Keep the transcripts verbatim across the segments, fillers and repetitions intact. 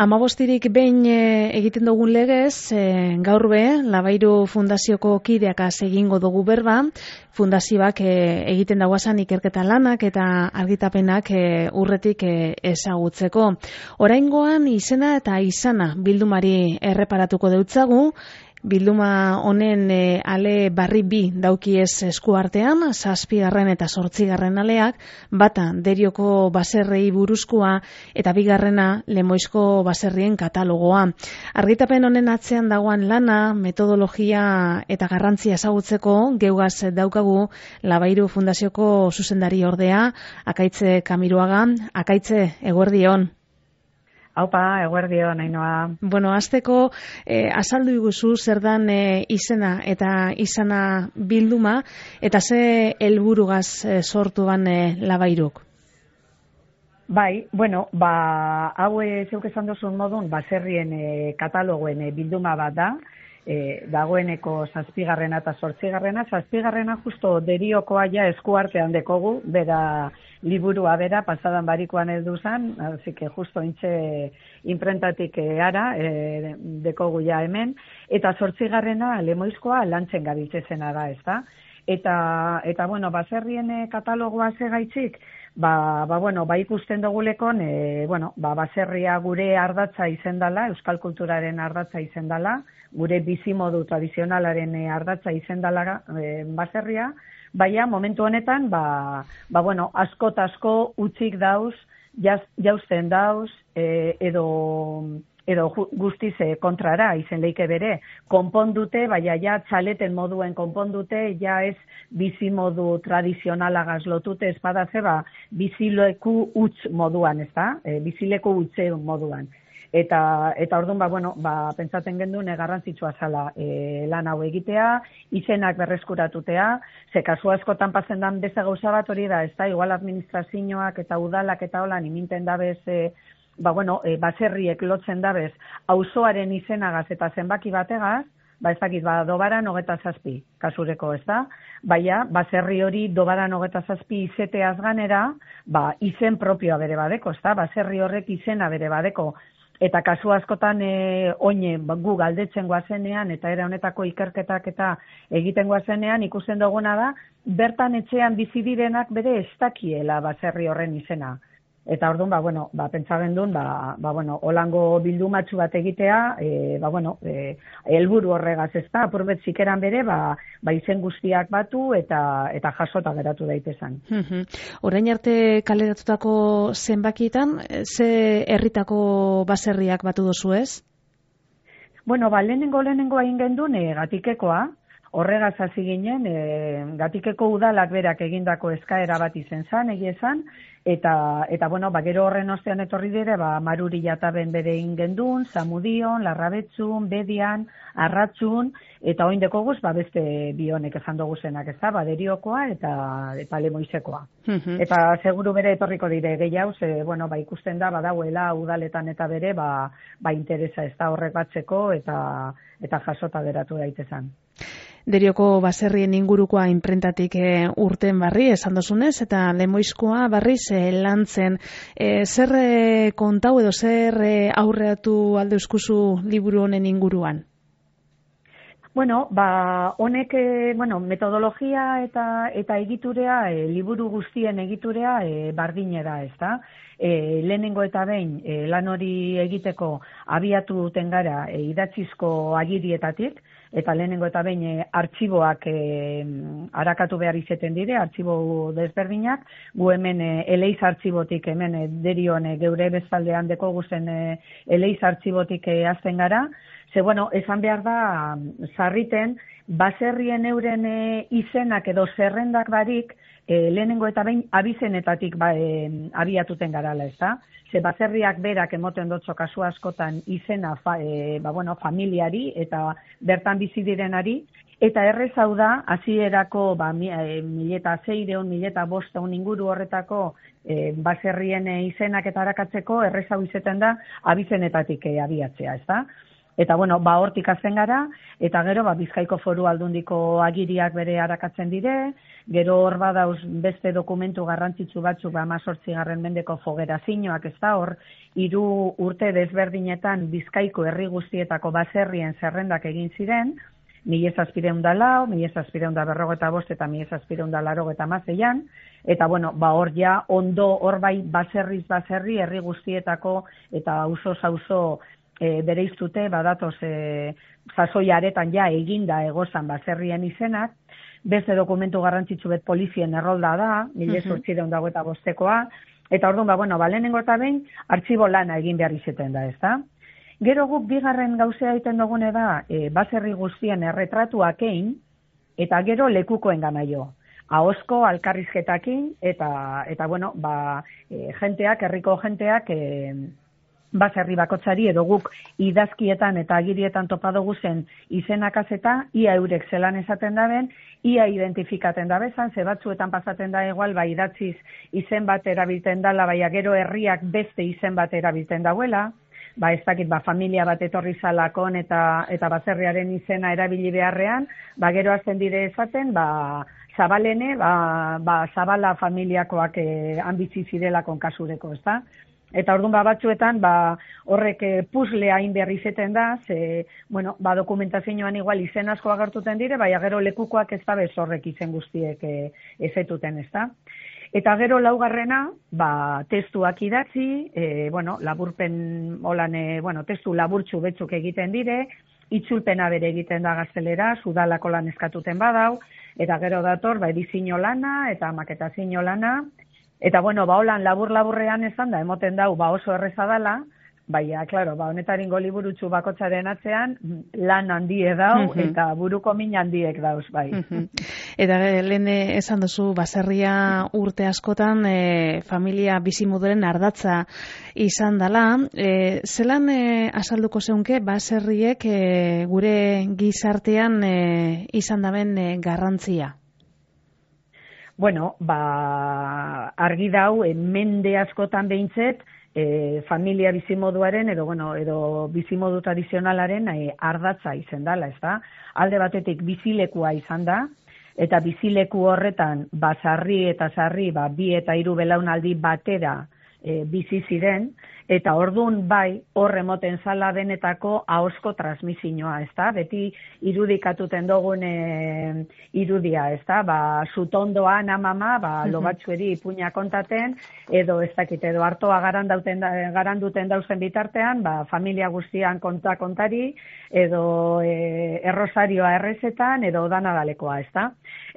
Hamabostirik behin e, egiten dugun legez, e, gaur be, Labairu Fundazioko kideakaz egingo dugu berba, fundazioak e, egiten dagoazan ikerketa lanak eta argitapenak e, urretik e, ezagutzeko. Oraingoan izena eta izana bildumari erreparatuko deutzagu, bilduma honen e, ale barri bi daukiez eskuartean, zazpigarren eta zortzigarren aleak, bata Derioko baserrei buruzkoa eta bigarrena Lemoizko baserrien katalogoa. Argitapen honen atzean dagoan lana, metodologia eta garrantzia ezagutzeko geugaz daukagu Labairu Fundazioko zuzendari ordea, Akaitze Kamiruaga. Akaitze, eguerdion. Haupa, eguerdion, Ainhoa. Bueno, hasteko eh, azaldu iguzu zer dan eh, izena eta izana bilduma, eta ze helburugaz eh, sortu ban eh, Labairuk? Bai, bueno, ba, hau zeuk esan duzun modun, baserrien e, katalogoen e, bilduma bat da, e, dagoeneko zazpigarrena eta zortzigarrena, zazpigarrena justo Deriokoa ja eskuartean dekogu, bera liburua bera, pasadan barikoan edu zan, así que justo intxe imprentatik e, ara, e, dekogu ja hemen, eta zortzigarrena Lemoizkoa lantzen gabiltzezena da, ez da? Eta, eta bueno, baserrien e, katalogoa zegaitzik, Ba, ba, bueno, ba ikusten dugulekon, e, bueno, ba, baserria gure ardatza izendala, euskal kulturaren ardatza izendala, gure bizimodu tradizionalaren e, ardatza izendala e, baserria, baina momentu honetan, ba, ba, bueno, asko eta asko utzik dauz, jaz, jausten dauz, e, edo... edo guztiz kontrara izen leike bere, konpondute, baina ja txaleten moduen konpondute, ja ez bizimodu tradizionalagaz lotute, ez badazeba bizileku utz moduan, ez da? E, bizileku utze moduan. Eta, eta orduan, ba, bueno, ba, pentsaten gendun, garrantzitsua zala e, lan hau egitea, izenak berreskuratutea, ze kasu askotan pasen dan beste gauza bat hori da, ez da? Igual administrazioak eta udalak eta holan iminten dabez, e, ba, bueno, e, baserriek lotzen dabez, auzoaren izenagaz eta zenbaki bategaz, ba, ez dakit, ba, dobaran hogeta zazpi, kasureko, ez da? Baina, baserri hori dobaran hogeta zazpi izeteaz ganera, ba, izen propioa bere badeko, ez da? Baserri horrek izena bere badeko. Eta kasu askotan e, oine ba, gu galdetzen guazenean, eta era honetako ikerketak eta egiten guazenean, ikusten duguna da, bertan etxean bizi direnak bere ez dakiela baserri horren izena. Eta orduan, ba, bueno, ba, pentsaben duen, ba, ba, bueno, holango bildumatxu bat egitea, e, ba, bueno, e, helburu horregaz ez da, apurbet zikeran bere, ba, ba, izen guztiak batu eta eta jasota geratu daitezan. Uh-huh. Orain arte kaleratutako zenbakietan, ze herritako baserriak batu dozu ez? Bueno, ba, lehenengo lehenengo egin gendun, e, Gatikekoa, horregaz hasi ginen, e, Gatikeko udalak berak egindako eskaera bat izen zan, egia esan, eta, eta bueno, ba, gero horren ostean etorri dire, ba, Maruri jataben bere ingendun, Zamudion, Larrabetzun, Bedian, Arratzun, eta oin dekoguz, ba, beste bionek esan dugu zenak, ez da, ba, Deriokoa eta, eta Lemoizekoa. Uh-huh. Eta seguru bere etorriko dire gehiago, ze, bueno, ba, ikusten da, badauela udaletan eta bere, ba, ba interesa ez da horrek batzeko, eta, eta jasota geratu daitezan. Derioko baserrien ingurukoa inprentatik e, urten barri, esan dozunez, eta Lemoizkoa barriz e, lantzen. E, zer e, kontau edo zer e, aurreatu alde euskuzu liburu honen inguruan? Bueno, ba, honek, e, bueno, metodologia eta eta egiturea, e, liburu guztien egiturea e, bardine da, ez da? E, lehenengo eta behin e, lan hori egiteko abiatu duten gara e, idatzizko agirietatik, eta lehenengo eta behin e, artxiboak e, arakatu behar izeten dire, artxibo desberdinak, gu hemen e, eleiz artxibotik, hemen e, Derion e, geure bezaldean deko guzen e, eleiz artxibotik e, azten gara, ze, bueno, esan behar da, sarriten, baserrien euren e, izenak edo zerrendak barik, e, lehenengo eta behin abizenetatik ba, e, abiatuten garala, ez da? Ze baserriak berak emoten dotzo kasu askotan izena fa, e, ba, bueno, familiari eta bertan bizi direnari, eta errez hau da, hasierako ba, mi, e, mileta zeireun, mileta bosteun inguru horretako e, baserrien e, izenak eta arakatzeko, errez hau izeten da abizenetatik e, abiatzea, ez da? Eta, bueno, ba, hortik hasten gara, eta gero, ba, Bizkaiko Foru Aldundiko agiriak bere arakatzen dire, gero hor badauz beste dokumentu garrantzitsu batzuk, ba, amazortzigarren mendeko fogerazioak, ez da, hor, hiru urte desberdinetan Bizkaiko herri guztietako baserrien zerrendak egin ziren, mila zazpireun da lau, mila zazpireun da berrogeta bost eta mila zazpireun da larogeta mazeian, eta, bueno, ba, hor ja, ondo, hor bai, baserriz baserri, herri guztietako, eta auzo auzo E, bere iztute, badatoz, e, sasoi aretan ja eginda egozan baserrien izenak, beste dokumentu garrantzitsu bet polizien errolda da, mila zortzireun dago eta bostekoa, eta orduan, ba, bueno, ba, lehenengo eta behin, artxibo lana egin behar izeten da, ez da? Gero guk bigarren gauzea egiten dugune da, e, baserri guztien erretratuak egin, eta gero lekukoen gana jo. Ahozko alkarrizketakin, eta, eta bueno, ba, e, jenteak, herriko jenteak, e, baserri bakotzari edo guk idazkietan eta agirietan topa dugu zen izenak azeta, ia eurek zelan esaten daben, ia identifikaten dabezan, ze batzuetan pasaten da igual, ba, idatziz izen bat erabilten dala, baina gero herriak beste izen bat erabilten dauela, ba, ez dakit, ba, familia bat etorri zalakon eta, eta baserriaren izena erabili beharrean, ba, gero azten dire esaten, ba, Zabalene, ba, ba, Zabala familiakoak eh, anbitzi zirelakon kasureko, ez da? Eta orduan ba, batzuetan ba, horrek eh, puzzlea hain behar izeten da, ze, bueno, ba, dokumentazioan igual izen asko agertuten dire, baina gero lekukoak ez da bez horrek izen guztiek eh, ezetuten, ez da? Eta gero laugarrena, ba, testuak idatzi, eh, bueno, laburpen, holan, eh, bueno, testu laburtxu betzuk egiten dire, itzulpena bere egiten da gaztelera, sudalako lan eskatuten badau, eta gero dator, ba, edizio lana eta maketazio lana, eta, bueno, ba, holan labur-laburrean esan da, emoten dau, ba, oso erreza dala, baina, klaro, ba, honetaringo liburutxu bakotzaren atzean, lan handie dau, uh-huh. eta buruko min handiek dauz, bai. Uh-huh. Eta lehen esan duzu, baserria urte askotan, e, familia bizimoduren ardatza izan dala, e, zelan e, azalduko zeunke, baserriek e, gure gizartean e, izan daben e, garrantzia? Bueno, ba, argi dau, e, mende askotan behintzet, e, familia bizimoduaren, edo, bueno, edo bizimodu tradizionalaren e, ardatza izan dela, ez da? Alde batetik bizilekua izan da, eta bizileku horretan, ba, sarri eta sarri, ba, bi eta hiru belaunaldi batera e, bizi ziren, eta ordun bai, hor emoten zala benetako ahozko transmisioa, ez da? Beti irudikatuten dugun e, irudia, ez da? Ba, zutondoan amama, ba, lobatxueri ipuña kontaten, edo ez dakit, edo hartoa garanduten, garanduten dauzen bitartean, ba, familia guztian konta kontari, edo e, errosarioa errezetan, edo danadalekoa, ez da?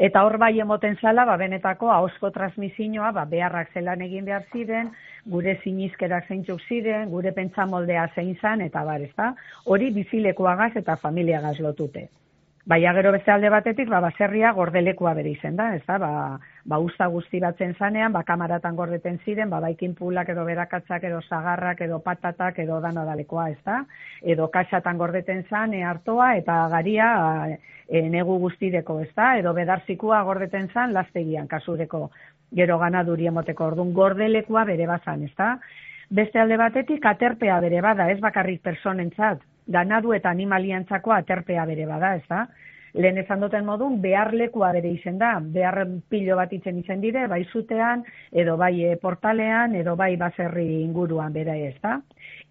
Eta hor bai emoten zala, ba, benetako ahozko transmisioa, ba, beharrak zelan egin behar ziren, gure sinizkerak zeintzuk ziren, gure pentsamoldea zein zan, eta bar, ez da? Hori bizilekuagaz eta familiagaz lotute. Baina gero beste alde batetik, ba, baserria gordelekua bere izen da, ez da? Ba, ba usta guzti batzen zanean, ba, kamaratan gordeten ziren, ba, baikin pulak edo berakatzak edo zagarrak edo patatak edo danadalekoa, ez da? Edo kaxatan gordeten zan, e, hartoa eta garia e, negu guztideko, ez da? Edo bedarzikua gordeten zan, lastegian kasureko. Gero ganaduri emoteko, orduan gordelekua bere bazan, ez da? Beste alde batetik aterpea bere bada, ez bakarrik personentzat, ganadu eta animaliantzako aterpea bere bada, ez da? Lehen esan duten modun, beharlekua bere izen da, behar pilo bat itzen izen dire, bai zutean, edo bai e, portalean, edo bai baserri inguruan bere, ez da?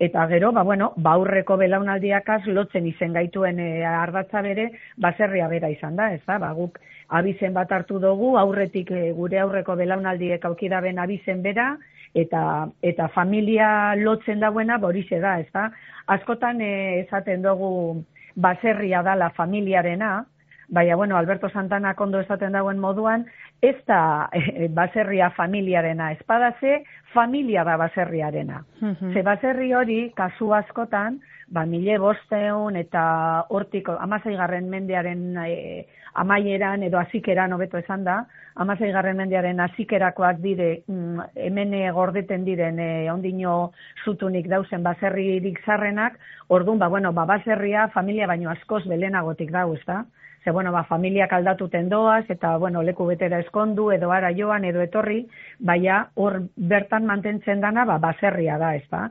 Eta gero, ba, bueno, ba aurreko belaunaldiakaz lotzen izen gaituen e, ardatza bere, baserria bera izan da, ez da? Ba, guk abizen bat hartu dugu, aurretik e, gure aurreko belaunaldiek aukidaben abizen bera, eta eta familia lotzen dauena horixe da, ez da? Askotan e, esaten dugu baserria da la familiarena, baina, bueno, Alberto Santana ondo esaten dauen moduan, ez da e, baserria familiarena, espadaze familia da baserriarena. Uh-huh. Ze baserri hori, kasu askotan, ba, mile bosteun eta hortik amaseigarren mendearen e, amaieran edo azikeran hobeto esan da, amaseigarren mendearen azikerakoak dire, mm, hemen gordeten diren e, ondino zutunik dauzen baserririk zarrenak, orduan, ba, bueno, ba, baserria familia baino askoz belenagotik dau, ez da? Ze, bueno, ba, familiak aldatuten doaz, eta, bueno, leku betera eskondu, edo ara joan, edo etorri, baina hor bertan mantentzen dana, ba, baserria da, ez da?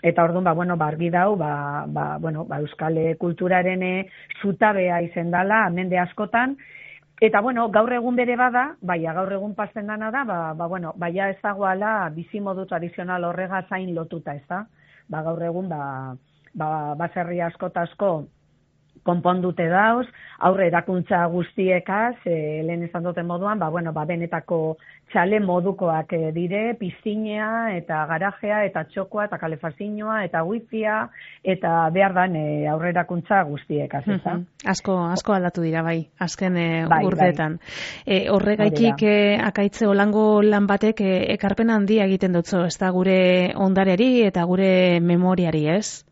eta orduan, ba, bueno, ba, argi dau, ba, ba, bueno, ba, euskal kulturaren zutabea izen dala, mende askotan, eta, bueno, gaur egun bere bada, baina gaur egun pasten dana da, ba, ba, bueno, baina ez dagoala bizimodu tradizional horrega zain lotuta, ez da? Ba, gaur egun, ba, ba, baserri asko eta asko konpondute dauz, aurre erakuntza guztiekaz, e, lehen esan duten moduan, ba, bueno, ba, benetako txale modukoak e, dire, piztinea, eta garajea, eta txokoa, eta kalefazioa, eta wifia, eta behar dan e, aurre erakuntza guztiekaz, ez da? Asko, asko aldatu dira, bai, azken e, bai, urteetan. Bai. E, horregaikik e, akaitze olango lan batek e, ekarpen handia egiten dutzo, ez da gure ondareari eta gure memoriari, ez?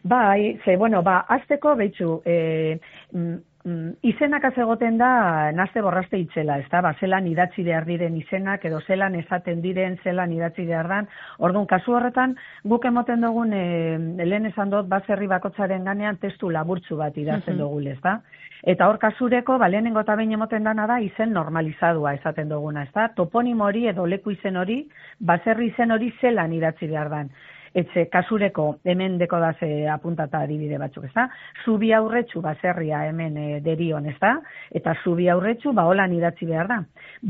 Bai, ze, bueno, ba, azteko, behitxu, e, mm, mm, izenak azegoten da nazte borraste itxela, ez da, ba, zelan idatzi behar diren izenak, edo zelan esaten diren, zelan idatzi behar dan. Orduan, kasu horretan, guk emoten dugun, e, lehen esan dut, baserri bakotzaren ganean testu laburtzu bat idazten dugu, ez da? Eta hor kasureko, ba, lehenengo eta behin emoten dana da, izen normalizadua esaten duguna, ez da? Toponim hori edo leku izen hori, baserri izen hori zelan idatzi behar dan. Etxe, kasureko, hemen deko da ze apuntata adibide batzuk, ez da? Zubi aurretxu baserria hemen e, derion, ez da? Eta zubi aurretxu, ba, holan idatzi behar da.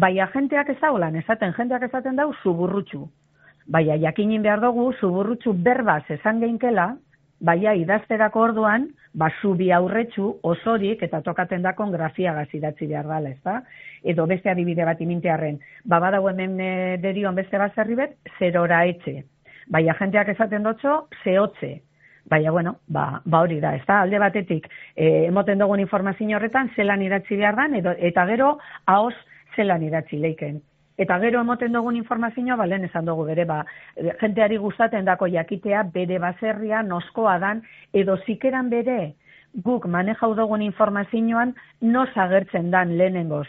Baina jenteak ez da holan, esaten, jenteak esaten dau, zuburrutxu. Baina jakinin behar dugu, zuburrutxu berbaz esan geinkela, baina idazterako orduan, ba, zubi aurretxu osorik, eta tokaten dakon grafiagaz idatzi behar dala, ez da? Edo beste adibide bat imintearren, ba, badau hemen e, derion beste baserri bet, zerora etxe. Baina jenteak esaten dutxo, zehotze. Baina, bueno, ba, ba hori da, ez da, alde batetik, e, emoten dugun informazio horretan, zelan idatzi behar dan, edo, eta gero, haoz, zelan idatzi leiken. Eta gero emoten dugun informazioa, ba, lehen esan dugu bere, ba, jenteari gustaten dako jakitea, bere baserria, noskoa dan, edo zikeran bere, guk manejau dugun informazioan, nos agertzen dan lehenengoz.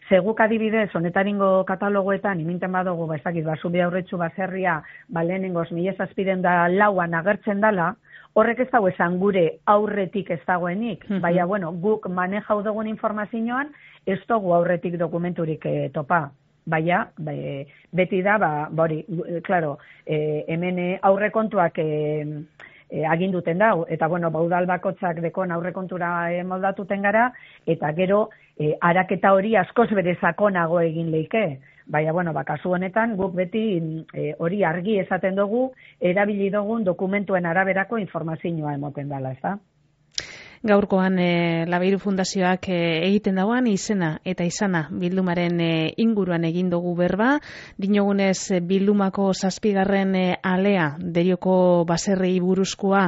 Zeguk adibidez, honetaringo katalogoetan, iminten badugu, ba, ez dakit, ba, zubi aurretxu baserria, ba, lehenengoz, mila zazpiden da lauan agertzen dala, horrek ez dago esan gure aurretik ez dagoenik, mm-hmm. Baina, bueno, guk manejau dugun informazioan, ez dugu aurretik dokumenturik e, topa. Baina, be, beti da, ba, bori, klaro, e, hemen aurrekontuak e, e, aginduten dau, eta, bueno, baudal bakotzak dekon aurrekontura e, moldatuten gara, eta gero, e, araketa hori askoz bere sakonago egin leike. Baina, bueno, ba, kasu honetan, guk beti e, hori argi esaten dugu, erabili dugun dokumentuen araberako informazioa emoten dela, ez da? Gaurkoan e, Labeiru Fundazioak e, egiten dagoan izena eta izana bildumaren e, inguruan egin dugu berba. Dinogunez e, bildumako zazpigarren e, alea derioko baserri buruzkoa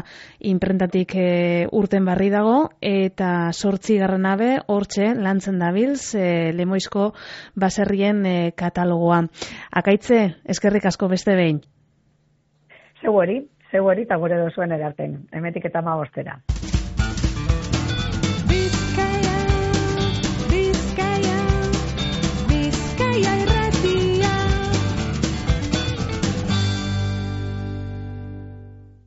inprentatik e, urten barri dago eta zortzigarren abe hortxe lantzen dabilz e, Lemoizko baserrien e, katalogoa. Akaitze, eskerrik asko beste behin. Zeu hori, zeu hori eta gure dozuen erarten, emetik eta magostera.